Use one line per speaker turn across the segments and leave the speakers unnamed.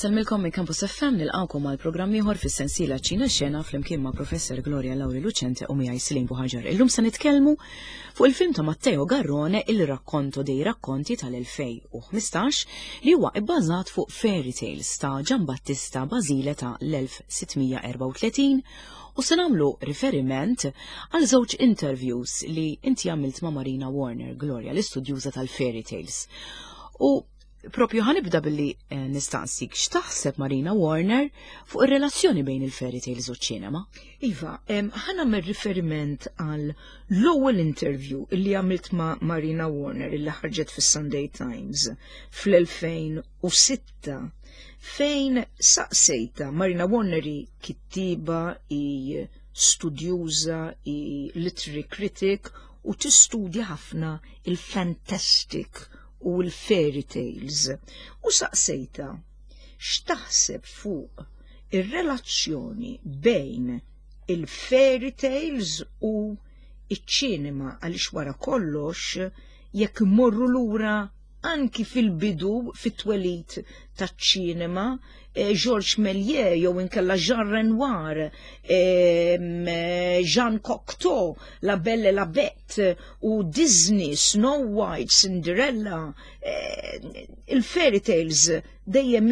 Insellmilkom minn Campus FM nilqgħukom għal programm ieħor fis-sensiela Ċina Xena flimkien ma' Professor Gloria Lauri Lucente u miegħi Silin Buħaġar. Illum se nitkellmu fuq il-film ta' Matteo Garrone Il Racconto dei Racconti tal-2015 li huwa ibbażat fuq fairy tales ta' Giambattista Basile ta' l-1634 u se nagħmlu riferiment għal żewġ interviews li inti għamilt ma' Marina Warner, Gloria, l-istudjuża tal-fairy tales. U Propju ħanibda billi eh, nistaqsik x'taħseb Marina Warner fuq ir-relazzjoni bejn il-fairy tales u ċ-ċinema?
Iva, ħana mir riferiment għal l-ewwel interview illi għamilt ma' Marina Warner illi ħarġet fis-Sunday Times fl-2006 fejn saqsejta Marina Warner hi kittiba, i studjuża, i literary critic u tistudja ħafna il-fantastic u l-fairy tales u saqsejtha x'taħseb fuq ir-relazzjoni bejn il-fairy tales u iċ-ċinema għaliex wara kollox jekk immorru lura anki fil-bidu fit-twelid taċ-ċinema eh, Georges Méliès jew inkella Jean Renoir, eh, Jean Cocteau, La Belle et la Bête u Disney, Snow White, Cinderella, eh, il-fairy tales dejjem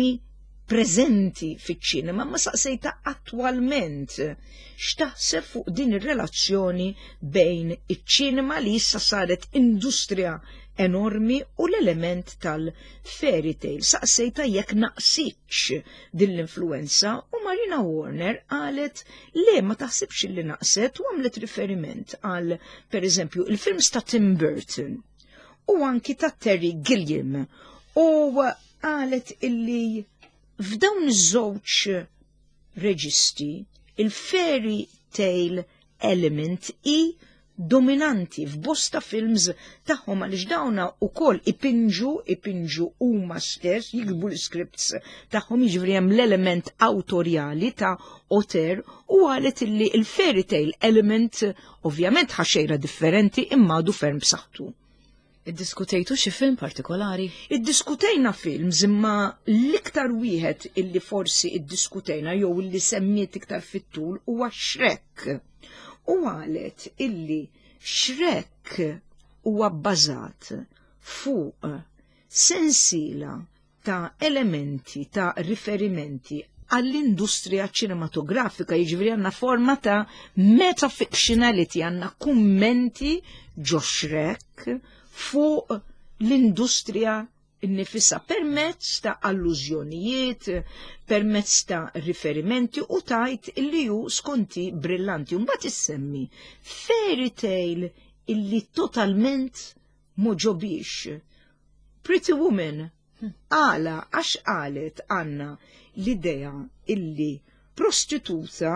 preżenti fiċ-ċinema, ma saqsejta attwalment x'taħseb fuq din ir-relazzjoni bejn iċ-ċinema li issa saret industrija enormi u l-element tal-fairy tale. Saqsejta jekk naqsitx din l-influenza u Marina Warner qalet le ma taħsibx li naqset u għamlet riferiment għal per eżempju il-films ta' Tim Burton u anki ta' Terry Gilliam u qalet illi f'dawn iż-żewġ reġisti il-fairy tale element i dominanti f'bosta films tagħhom għaliex dawna wkoll ipinġu, ipinġu huma stess, jiktbu l-scripts tagħhom jiġifieri hemm l-element awtorjali ta' auteur u qalet illi il-fairy tale element ovvjament ħaxejra differenti imma għadu ferm b'saħħtu.
Iddiskutejtu xi film partikolari?
Iddiskutejna films imma l-iktar wieħed illi forsi iddiskutejna jew illi semmiet iktar fit-tul huwa Shrek. U qalet illi Shrek huwa bbażat fuq sensiela ta' elementi ta' riferimenti għall-industrija ċinematografika, jiġifieri għandna forma ta' metafictionality, għandna kummenti ġo Shrek fuq l-industrija nnifisha permezz ta' allużjonijiet, permezz ta' riferimenti u tajt illi hu skonti brillanti. Mbagħad issemmi fairy tale illi totalment m'għoġobhiex. Pretty Woman għala għax qalet għandna l-idea illi prostituta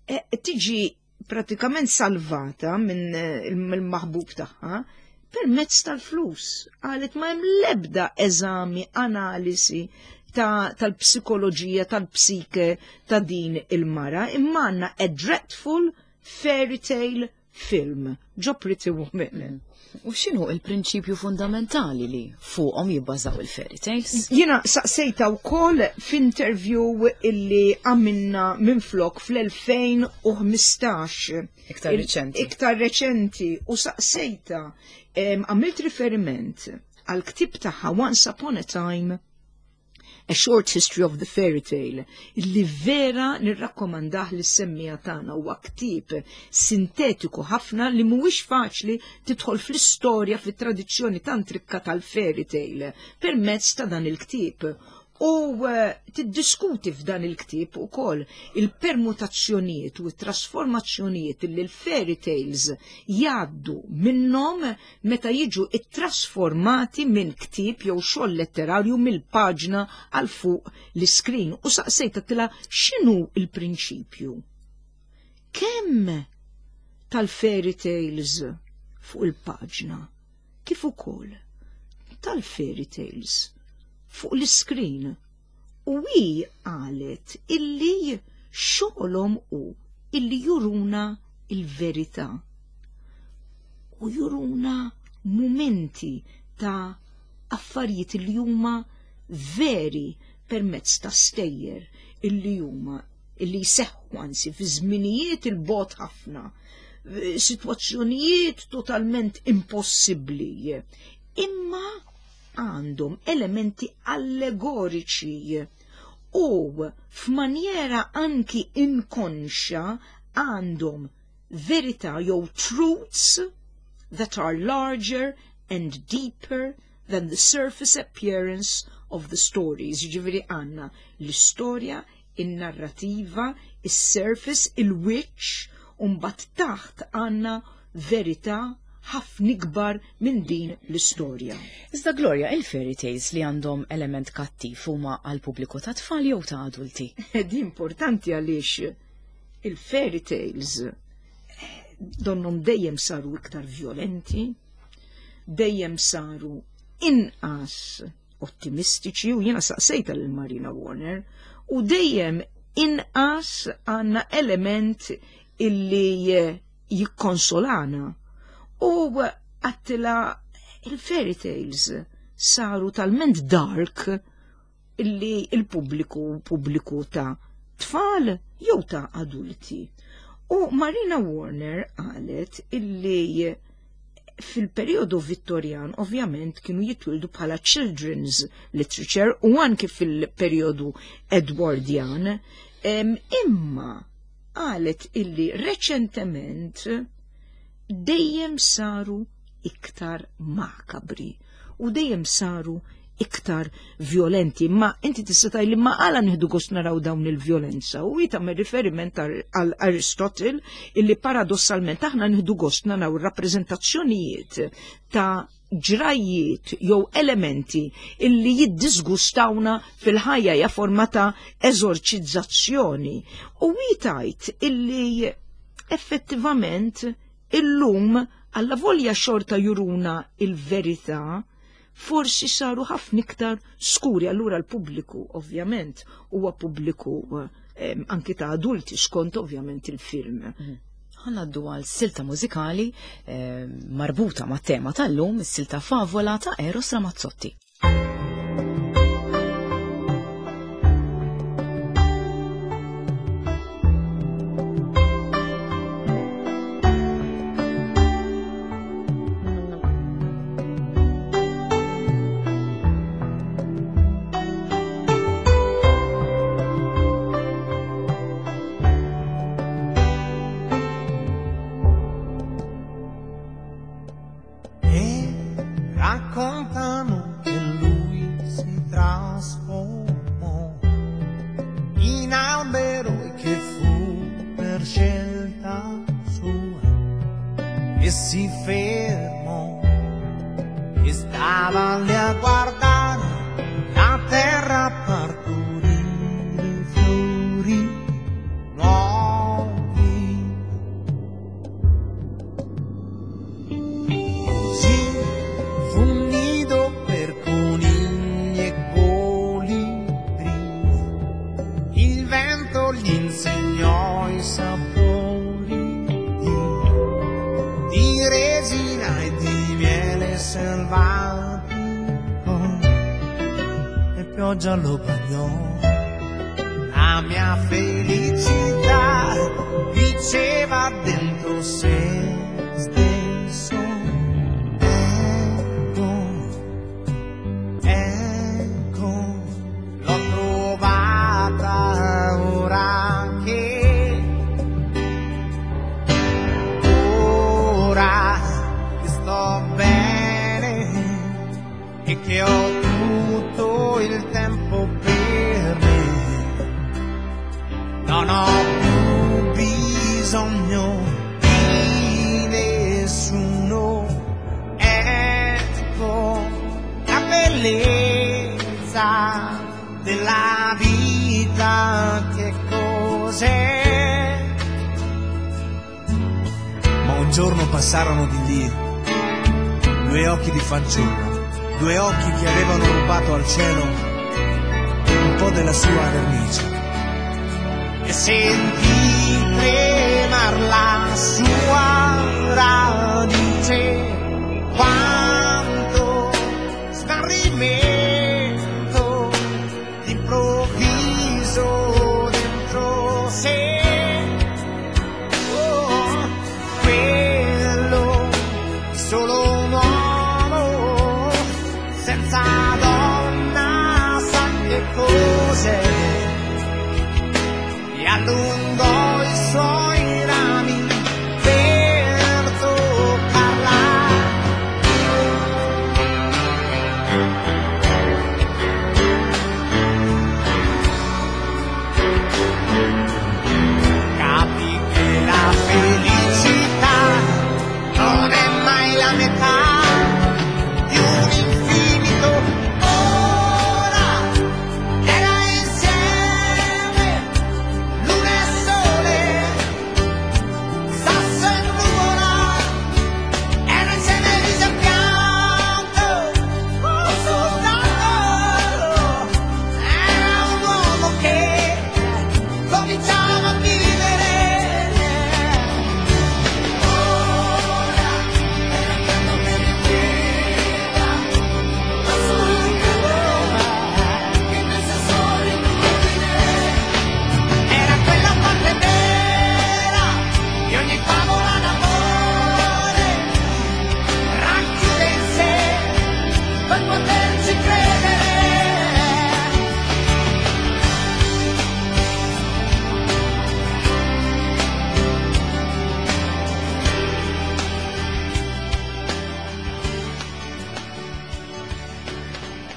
eh, tiġi pratikament salvata minn eh, il-maħbub tagħha permezz tal-flus. Qalet ma hemm l-ebda eżami, analisi tal-psikoloġija, tal-psike ta' din il-mara, imma għandna a dreadful fairy tale film ġo Pretty Woman.
U x'inhu il-prinċipju fundamentali li fuqhom jibbażaw il-fairy tales?
Jiena saqsejta wkoll f'interview illi għamilna minflok fl-2015.
Iktar reċenti.
Iktar reċenti u saqsejta għamilt riferiment għal ktib tagħha Once Upon a Time A Short History of the Fairy Tale, li vera nirrakkomandah lis semmija tagħna huwa ktieb sintetiku ħafna li mhuwiex faċli tidħol fl-istorja fit-tradizzjoni tant rikka tal-fairy tale permezz ta' dan il-ktieb. U eh, tiddiskuti f'dan il-ktieb ukoll il-permutazzjonijiet u t-trasformazzjonijiet li l-fairy tales jgħaddu minnhom meta jiġu ttrasformati minn ktieb jew xogħol letterarju mill-paġna għal fuq l-iskrin u saqsejt għedtilha x'inhu l-prinċipju. Kemm tal-fairy tales fuq il-paġna kif ukoll tal-fairy tales fuq l-iskrin u hi qalet illi xogħolhom hu illi juruna il-verità u juruna mumenti ta' affarijiet li huma veri. permezz ta' stejjer illi huma illi jseħħu anzi fi żminijiet il-bogħod ħafna, sitwazzjonijiet totalment impossibbli, imma għandhom elementi allegoriċi u f'manjera anki inkonxja għandhom verità jew truths that are larger and deeper than the surface appearance of the stories. Jiġifieri għandna l-istorja, in-narrativa, is-surface, il-wiċċ, u mbagħad taħt għandna verità ħafna ikbar minn din l-istorja.
Iżda Gloria, il-fairy tales li għandhom element kattiv huma għal pubbliku ta' tfal jew ta' adulti?
Di importanti għaliex il-fairy tales donnhom dejjem saru iktar violenti, dejjem saru inqas ottimistiċi u jiena saqsejta lil Marina Warner u dejjem inqas għandna element illi jikkonsolana. U għedtilha il-fairy tales saru talment dark illi il-pubbliku pubbliku ta' tfal jew ta' adulti. U Marina Warner qalet illi fil-periodu Vittorjan ovvjament kienu jitwildu bħala children's literature u anki fil-periodu Edwardian, imma qalet illi reċentement dejjem saru iktar makabri u dejjem saru iktar violenti. Ma inti tista' tgħidli ma għala nieħdu gost naraw dawn il-vjolenza u tagħmel riferiment għal Aristotle illi paradossalment aħna nieħdu gost naraw rappreżentazzjonijiet ta' ġrajiet jew elementi illi jiddisgustawna fil-ħajja ja forma ta' eżorċizzazzjoni. U tgħid illi effettivament illum alla volja xorta juruna il-verità, forsi saru ħafna iktar skuri. Allura l-pubbliku ovvjament huwa pubbliku anki ta' adulti skont ovvjament il-film.
Ħa ngħaddu għal silta mużikali marbuta ma' tema tal-lum, is-silta Favola ta' Eros Ramazzotti.
E raccontano che lui si trasformò in albero e che fu per scelta sua e si fermò e stava lì a guardare la terra partorire fiori nuovi. Così fu un nido per conigli e colibrì. Il vento gli insegnò i sapori di resina e di miele selvatico e pioggia lo bagnò. La mia felicità diceva dentro se stesso. Ecco, ecco, l'ho trovata ora che sto bene e che ho tutto il tempo per me. Non ho più bisogno di nessuno. Ecco la bellezza della vita che cos'è.
Ma un giorno passarono di lì due occhi di fanciulla, due occhi che avevano rubato al cielo un po' della sua vernice.
E sentì tremar la sua radice, quanto smarrimento d'improvviso.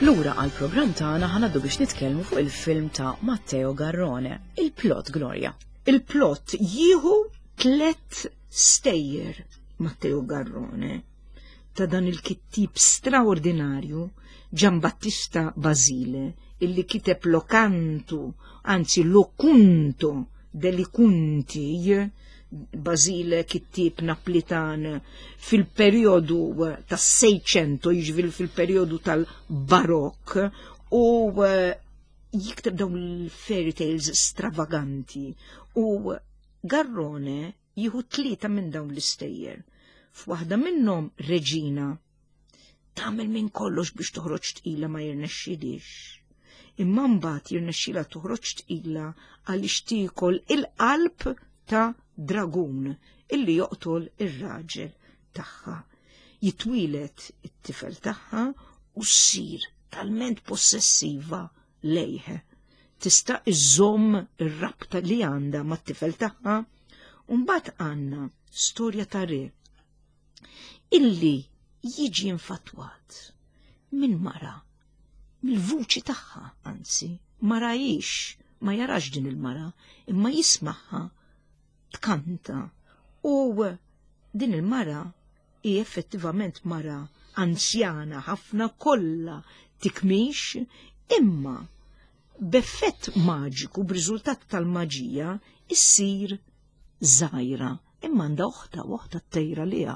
Lura għal programm tagħna ħa ngħaddu biex nitkellmu fuq il-film ta' Matteo Garrone, il-plot Gloria.
Il-plot jieħu tlet stejjer Matteo Garrone ta' dan il-kittib straordinarju Giambattista Basile illi kiteb Locantu, anzi Locunto deli Cunti, Basile kittieb Naplitan fil-perjodu tas-Seicento, jiġifieri fil-perjodu tal-Barokk, u eh, jikteb dawn il-fairy tales stravaganti u Garrone jieħu tlieta minn dawn l-istejjer. F'waħda minnhom Reġina tagħmel minn kollox biex toħroġ tqila ma jirnexxilix. Imma mbagħad jirnexxilha toħroġ tqila għaliex tiekol il-qalb ta' dragun illi joqtol ir-raġel tagħha. Jitwieled it-tifel tagħha u ssir talment possessiva lejh. Tista' iżżomm ir-rabta li għandha mat-tifel tagħha. U mbagħad għandna storja ta' re illi jiġi infatwat minn mara, mill-vuċi tagħha, anzi, ma rajix, ma jarax din il-mara, imma jismaħħa tkanta. U din il-mara hi effettivament mara anzjana ħafna kollha tikmix, imma b'effett maġiku, b'riżultat tal-maġija, issir żgħira imma għandha oħta u oħta tejra liha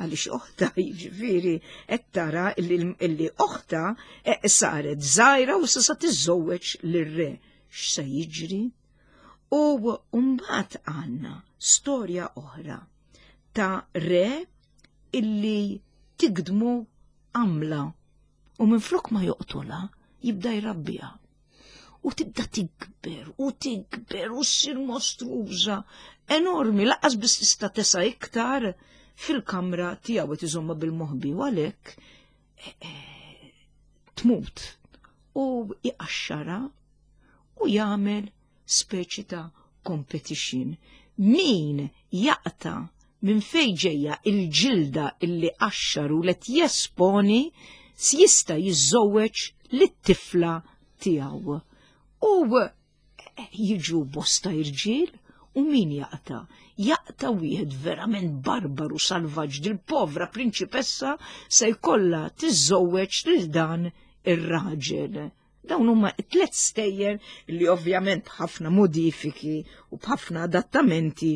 għaliex oħta jiġifieri qed tara illi oħta eh, saret żgħira u issa tiżżewweġ lir-re. X'se jiġri? U mbagħad għandna storja oħra ta' re illi tigdmu għamla u minflok ma joqtolha jibda jrabbiha. U tibda tikber u tikber u ssir mostruża enormi laqas biss tista' tesa' iktar fil-kamra tiegħu qed iżomma bil-moħbi u għalhekk eh, eh, tmut u iqaxxara u jagħmel speċi ta' competition. Min jaqta' minn fejn ġejja il-ġilda illi qaxxar u let jesponi jista' jiżżewweġ lit-tifla tiegħu. U eh, jiġu bosta irġiel u min jaqta? Jaqta wieħed verament barbaru salvaġġ dil-povra prinċipessa se jkollha tiżżewweġ lil dan ir-raġel. Dawn huma tliet stejjer li ovvjament b'ħafna modifiki u b'ħafna adattamenti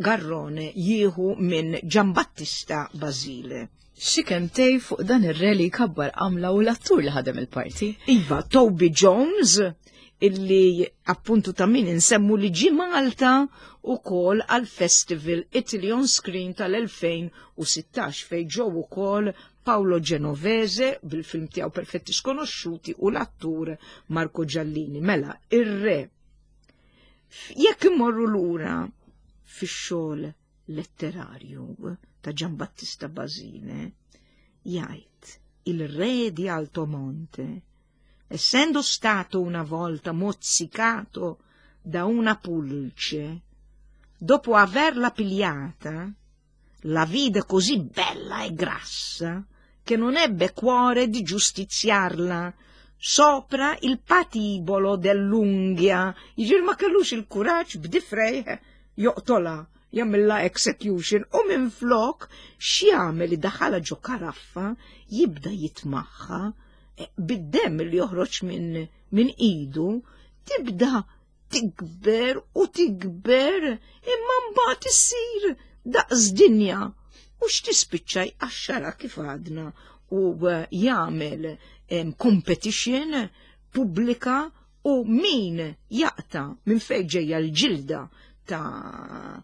Garrone jieħu minn Giambattista Basile.
Xi kemtej fuq dan ir-re li jkabbar għamla u l-attur li ħadem il-parti.
Iva, Toby Jones, illi appuntu ta' min insemmu li ġi Malta u kol għal Festival Italy on Screen tal-2016 fej ġew ukoll Paolo Genovese bil-film tiegħu Perfetti Skonosciuti u l-attur Marco Giallini. Mela, ir-re. Jekk imorru lura fix-xogħol letterarju ta' Giambattista Basile, jgħid il-re di Altomonte, essendo stato una volta mozzicato da una pulce, dopo averla pigliata, la vide così bella e grassa che non ebbe cuore di giustiziarla sopra il patibolo dell'unghia. Jiġifieri ma kellux il-kuraġġ b'difrejh joqtolha, jagħmilha execution u minflok x'jagħmel idaħħalha ġo karaffa jibda jitmaħħa eh, bid-demm li joħroġ minn min idu tibda tikber u tikber imma mbagħad issir daqs dinja u x'tispiċċa jqaxxara kif għadna u eh, jagħmel competition pubblika u min jaqta minn fejn ġejja l-ġilda ta'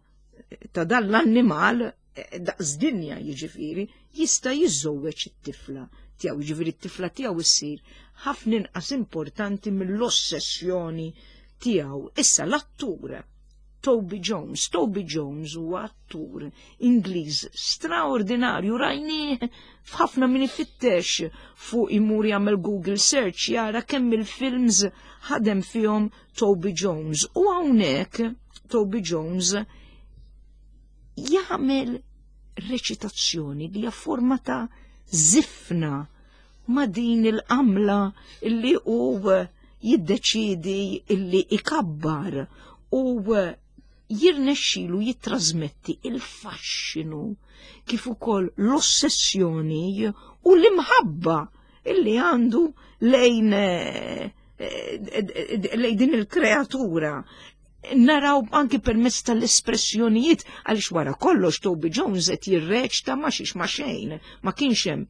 ta' dan l-annimal eh, daqs dinja jiġifieri jista' jiżżewweġ it-tifla tiegħu, jiġifieri t-tifla tiegħu issir ħafna inqas importanti mill-ossessjoni tiegħu. Issa l-attur Toby Jones. Toby Jones huwa attur Ingliż straordinarju rajnieh f'ħafna min ifittex fuq imur jagħmel Google search jara kemm il-films ħadem fihom Toby Jones. U hawnhekk Toby Jones jagħmel reċitazzjoni li hija forma ta' zifna. ma' din il-qamla illi hu jiddeċiedi illi ikabbar u jirnexxilu jittrażmetti il-faxxinu kif ukoll l-ossessjoni u l-imħabba illi għandu lejn eh, eh, lejn din il-kreatura naraw anki permezz tal-espressjonijiet għaliex wara kollox Toby Jones qed jirreċta ma xiex ma xejn, ma kienx hemm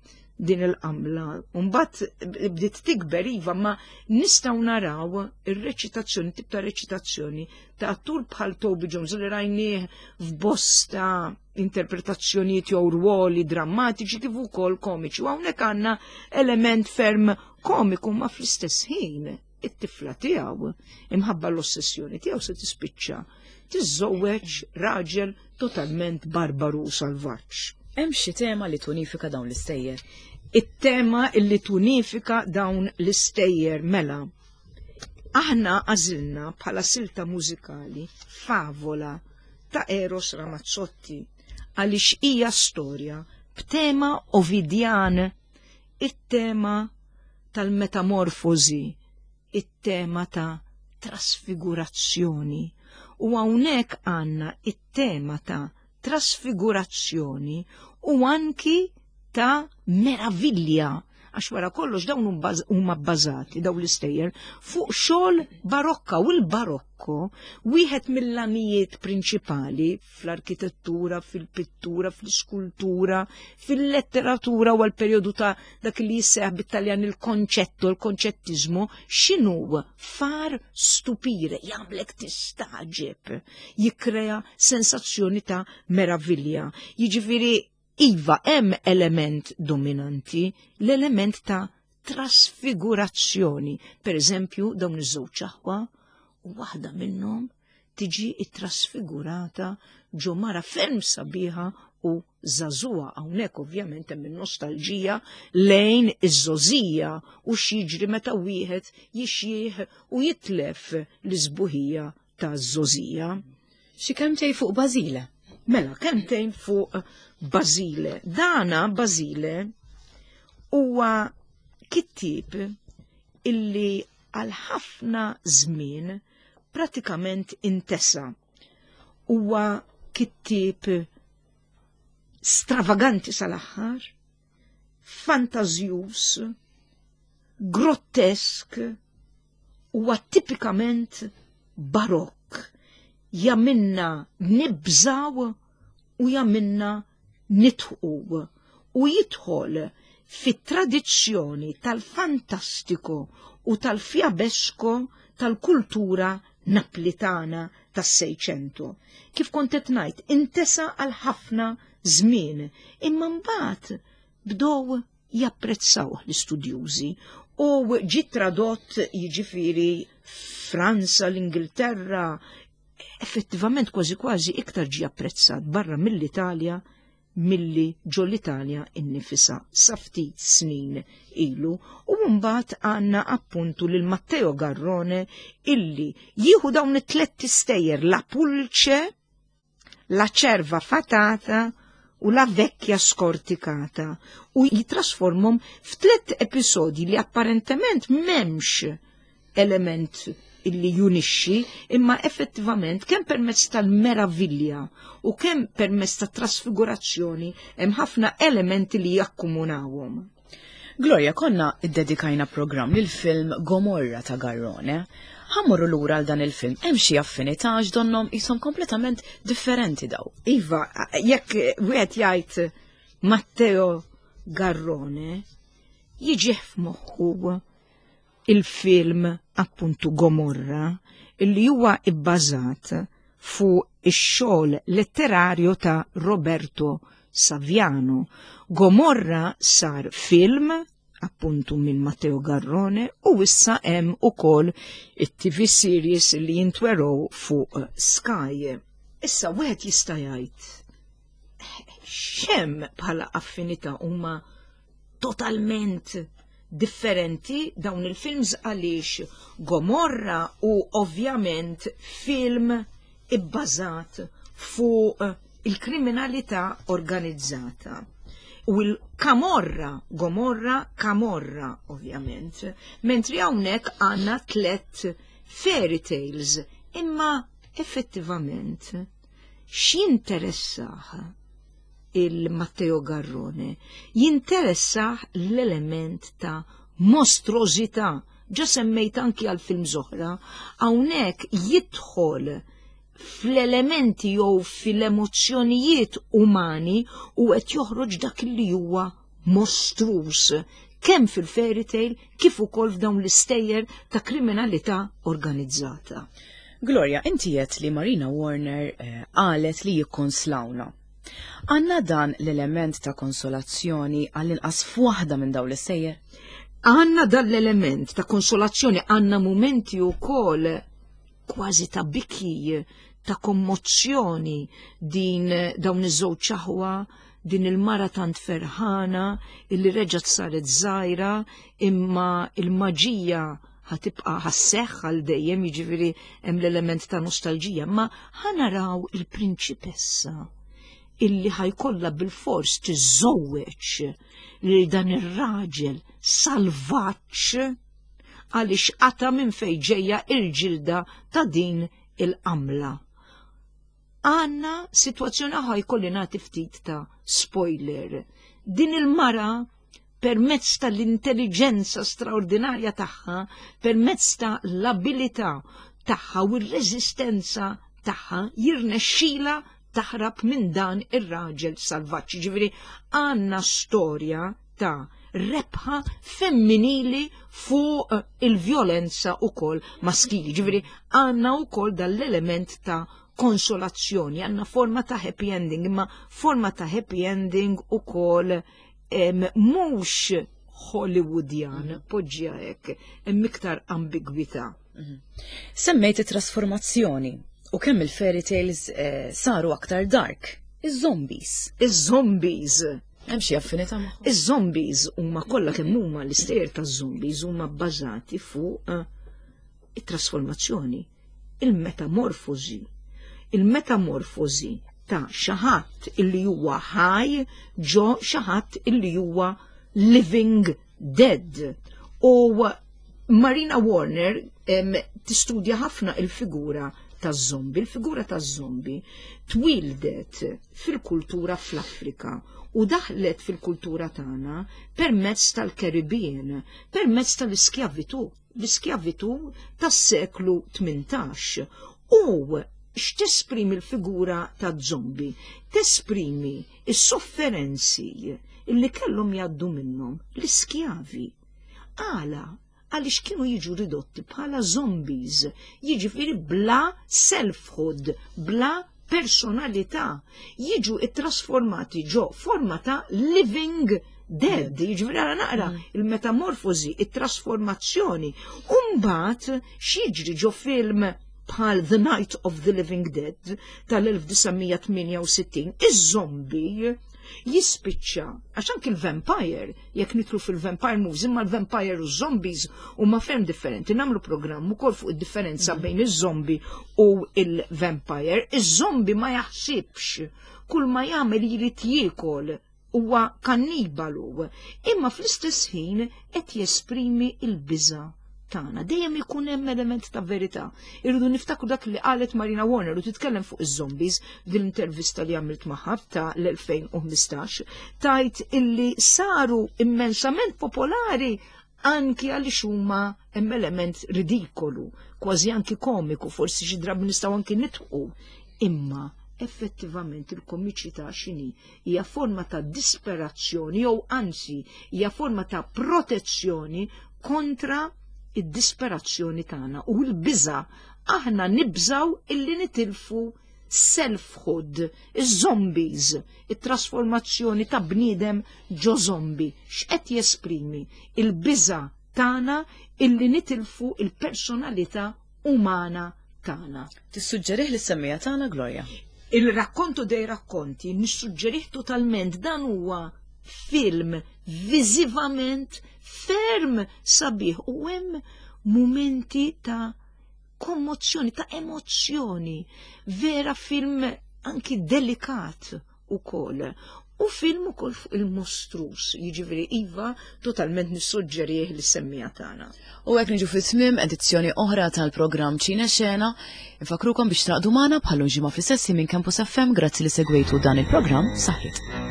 din il-qamla. Mbagħad bdiet tikber iva, ma nistgħu naraw ir-reċitazzjoni, tip ta' reċitazzjoni ta' attur bħal Toby Jones li rajnieh f'bosta interpretazzjonijiet jew rwoli drammatiċi kif ukoll komiċi. U hawnhekk għandna element ferm komiku ma fl-istess ħin it-tifla tiegħu imħabba l-ossessjoni tiegħu se tispiċċa tiżżewweġ raġel totalment barbaru u salvaġġ.
Hemm xi tema li tunifika dawn l-istejjer?
It-tema li tunifika dawn l-istejjer mela. Aħna għażilna bħala silta mużikali favola ta' Eros Ramazzotti għaliex hija storja b'tema Ovidjan, it-tema tal-metamorfożi, it-tema ta' trasfigurazzjoni. U hawnhekk għandna it-tema ta' trasfigurazzjoni u anki ta' meravilja għax wara kollox dawn huma bbażati dawn l-istejjer fuq xogħol barokka u l-barokko wieħed mill-għanijiet prinċipali fl-arkitettura, fil-pittura, fl-iskultura, fil-letteratura u għal-perjodu ta' dak li jisseħ bit-Taljan il-konċettu, il-konċettizmu, x'inhu far stupire, jagħmlek tistaġeb, jikkrea sensazzjoni ta' meravilja. Jiġifieri iva hemm element dominanti, l-element ta' trasfigurazzjoni. Per eżempju, dawn iż-żewġ aħwa u waħda minnhom tiġi ttrasfigurata ġo mara ferm sabiħa u żagħżugħa. Hawnhekk ovvjament hemm in-nostalġija lejn iż-żogħżija u x'jiġri meta wieħed jixjieħ u jitlef l-isbuħija taż-żogħżija.
Xi kelmtejn fuq Basile?
Mela, kelmtejn fuq Basile. Dana Basile huwa kittieb illi għal ħafna żmien pratikament intesa. Huwa kittieb stravaganti sal-aħħar, fantażjuż, grottesk, huwa tipikament barokk. Jaminna nibżaw u jaminna nitħu u jidħol fit-tradizzjoni tal-fantastico u tal-fiabesco tal-kultura Naplitana tas-Seicento. Kif kont qed ngħid, intesa għal ħafna żmien, imma mbagħad bdew japprezzawh l-istudjużi u ġie tradott jiġifieri Franza, l-Ingilterra, effettivament kważi kważi iktar ġie apprezzat barra mill-Italja milli ġo l-Italja innifisha sa ftit snin ilu u mbagħad għandna appuntu lil Matteo Garrone illi jieħu dawn it-tlett istejjer La Pulce, La Cerva Fatata u La Vecchia Scorticata u jitrasformhom f'tliet episodji li apparentement m'hemmx element illi junixxi imma effettivament kemm permezz tal-meravilja u kemm permezz ta' trasfigurazzjoni hemm ħafna elementi li jakkumunawhom.
Gloria, konna iddedikajna programm lil film Gomorra ta' Garrone. Ħammorru lura għal dan il-film, hemm xi affinità għax donnhom qishom kompletament differenti daw.
Iva, jekk wieħed jgħid Matteo Garrone, jiġih f'moħħu il-film appuntu Gomorra illi huwa ibbażat fuq ix-xogħol letterarju ta' Roberto Saviano. Gomorra sar film appuntu minn Matteo Garrone u issa hemm ukoll it-TV series li jintwerow fuq Sky. Issa wieħed jista' jgħid x'hemm bħala affinità huma totalment differenti dawn il-films għaliex Gomorra u ovvjament film ibbażat fuq il-kriminalità organizzata. U l-Kamorra, Gomorra, Kamorra, ovvjament. Mentri hawnhekk għandna tlett fairy tales, imma effettivament x'jinteressah il-Matteo Garrone? Jinteressah l-element ta' mostrużità. Ġa semmejt anki għal film oħra, hawnhekk jidħol fl-elementi jew fil-emozzjonijiet umani u qed joħroġ dak li huwa mostruż kemm fil-fairy tale kif ukoll f'dawn l-istejjer ta' kriminalità organizzata.
Gloria, inti għedt li Marina Warner qalet li jikkonslawna. Għandna dan l-element ta' konsolazzjoni għall-inqas f'waħda minn dawn l-istejjer?
Għandna dan l-element ta' konsolazzjoni, għandna mumenti wkoll kważi ta' biki, ta' kommozzjoni din dawn iż-żewġ aħwa, din il-mara tant ferħana illi reġgħet saret żgħira imma il-maġija ħatibqa' ħasseħħ għal dejjem, jiġifieri hemm l-element ta' nostalġija, ma ħanaraw il-prinċipessa illi ħajkollha bil-fors tiżżewweġ lil dan ir-raġel salvaġġ għaliex qata' minn fejn ġejja il-ġilda ta' din il-qamla. Għanna sitwazzjoni aħa jkolli nagħti ftit ta' spoiler. Din il-mara permezz tal-intelligenza straordinarja tagħha, permezz ta' l-abilità tagħha u r-reżistenza tagħha jirnexxila taħrab minn dan ir-raġel salvaġġ. Ġifieri għandna storja ta' rebħa femminili fuq il-vjolenza ukoll maskili. Ġifieri għandna wkoll dal-element ta' konsolazzjoni, għandna forma ta' happy ending, imma forma ta' happy ending ukoll mhux Hollywoodian, poġġiha hekk, hemm iktar ambigwità.
Semmejt it-trasformazzjoni u kemm il-fairy tales saru aktar dark. Iż-zombies.
Iż-zombies.
Hemm xi affinità magħhom?
Iż-zombies huma kollha kemm huma l-istejjer taż-zombies huma bbażati fuq it-trasformazzjoni, il-metamorfożi. Il-metamorfożi ta' xi ħadd illi huwa ħaj ġo xi ħadd illi huwa living dead. U Marina Warner tistudja ħafna il-figura taż-zombi. Il-figura taż-zombi twildet fil-kultura fl-Afrika u daħlet fil-kultura tagħna permezz tal-Caribbean, permezz tal-iskjavitu, l-iskjavitu tas-seklu 18. U x'tesprimi l-figura taż-zombi? Tesprimi is-sofferenzi illi kellhom jgħaddu minnhom l-iskjavi. Għala? Għaliex kienu jiġu ridotti bħala zombies, jiġifieri bla selfhood, bla personalità, jiġu ittrasformati ġo forma ta' living dead, jiġifieri għara naqra il-metamorfosi, it-trasformazzjoni. Umbagħad x'jiġri ġo film bħal The Night of the Living Dead tal-1968, iż-zombi jispiċċa, għax anki l-vampire, jekk nitlu fil-vampire movies, imma l-vampire u zombies huma ferm differenti. Nagħmlu programm ukoll fuq id-differenza bejn iż-zombie u il-vampire. Iż-zombie ma jaħsibx, kull ma jagħmel jrid jiekol, huwa kannibalu, imma fl-istess ħin qed jesprimi l-biża' tagħna. Dejjem ikun hemm element ta' verità. Irridu niftakru dak li qalet Marina Warner u titkellem fuq iż-zombies f'din l-intervista li għamilt magħha ta' l-2015, tajt illi saru immensament popolari anki għaliex huma hemm element ridikolu, kważi anki komiku, forsi xi drabi nistgħu anki nitqu. Imma effettivament il-komiċità x'inhi? Hija forma ta' disperazzjoni jew anzi hija forma ta' protezzjoni kontra id-disperazzjoni tagħna u l-biża'. Aħna nibżaw illi nitilfu selfhood, iż-zombies, it-trasformazzjoni ta' bniedem ġo zombi. X'qed jesprimi? Il-biża' tagħna illi nitilfu il-personalità umana tagħna.
Tissuġġerih lis-semmija tagħna, Gloria?
Il-Racconto dei Racconti nissuġġerih totalment. Dan huwa film viżivament ferm sabiħ u hemm mumenti ta' kommozzjoni, ta' emozzjoni, vera film anki delikat ukoll. U film ukoll fuq il-mostrus, jiġifieri iva totalment nissuġġerih lis-semmiegħa tagħna.
U hekk niġu fi tmiem edizzjoni oħra tal-programm Ċine Xena. Infakrukom biex traqdu magħna bħal ġimgħa fl-istess minn Campus FM grazzi li segwejtu dan il-programm saħħit.